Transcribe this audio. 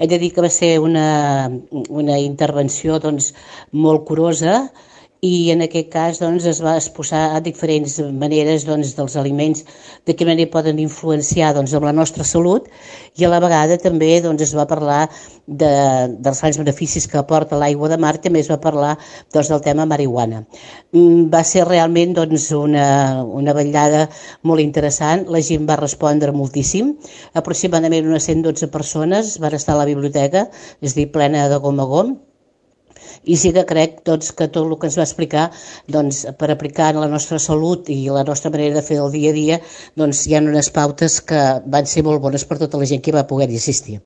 He de dir que va ser una intervenció doncs, molt curosa, i en aquest cas doncs, es va exposar a diferents maneres doncs, dels aliments, de quina manera poden influenciar doncs, amb la nostra salut, i a la vegada també doncs, es va parlar dels grans beneficis que aporta l'aigua de mar, també es va parlar doncs, del tema marihuana. Va ser realment doncs, una vetllada molt interessant, la gent va respondre moltíssim, aproximadament unes 112 persones van estar a la biblioteca, és a dir, plena de gom a gom, i sí que crec doncs, que tot el que ens va explicar doncs, per aplicar en la nostra salut i la nostra manera de fer el dia a dia doncs, hi ha unes pautes que van ser molt bones per tota la gent que va poder-hi assistir.